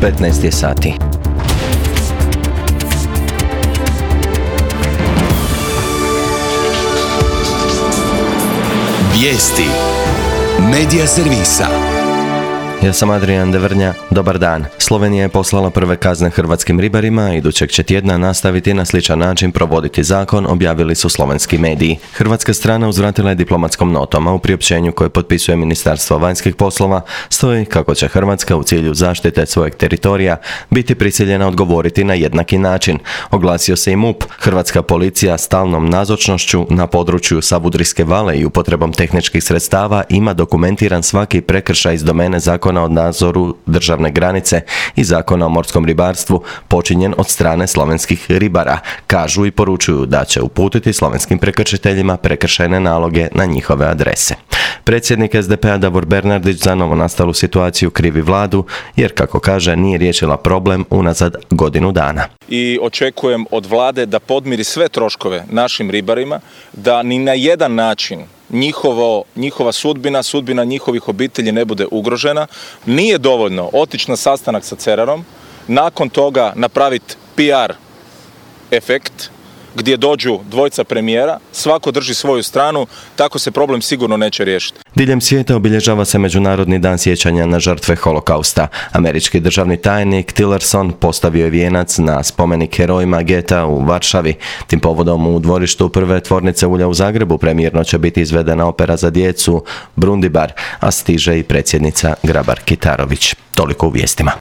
15 je sati. Vijesti Medija servisa. Ja sam Adrian Devrnja, dobar dan. Slovenija je poslala prve kazne hrvatskim ribarima, a idućeg će tjedna nastaviti na sličan način provoditi zakon, objavili su slovenski mediji. Hrvatska strana uzvratila je diplomatskom notom, a u priopćenju koje potpisuje Ministarstvo vanjskih poslova stoji kako će Hrvatska u cilju zaštite svojeg teritorija biti prisiljena odgovoriti na jednaki način. Oglasio se i MUP. Hrvatska policija stalnom nazočnošću na području Savudrijske vale i upotrebom tehničkih sredstava ima dokumentiran svaki prekršaj iz domene zakona o nadzoru državne granice i zakona o morskom ribarstvu počinjen od strane slovenskih ribara. Kažu i poručuju da će uputiti slovenskim prekršiteljima prekršajne naloge na njihove adrese. Predsjednik SDP-a Davor Bernardić za novonastalu situaciju krivi vladu, jer kako kaže nije riješila problem unazad godinu dana. I očekujem od vlade da podmiri sve troškove našim ribarima, da ni na jedan način njihova sudbina njihovih obitelji ne bude ugrožena. Nije dovoljno otići na sastanak sa Cerarom, nakon toga napraviti PR efekt gdje dođu dvojica premijera, svako drži svoju stranu, tako se problem sigurno neće riješiti. Diljem svijeta obilježava se Međunarodni dan sjećanja na žrtve holokausta. Američki državni tajnik Tillerson postavio je vijenac na spomenik herojima geta u Varšavi. Tim povodom u dvorištu prve tvornice ulja u Zagrebu premijerno će biti izvedena opera za djecu Brundibar, a stiže i predsjednica Grabar Kitarović. Toliko u vijestima.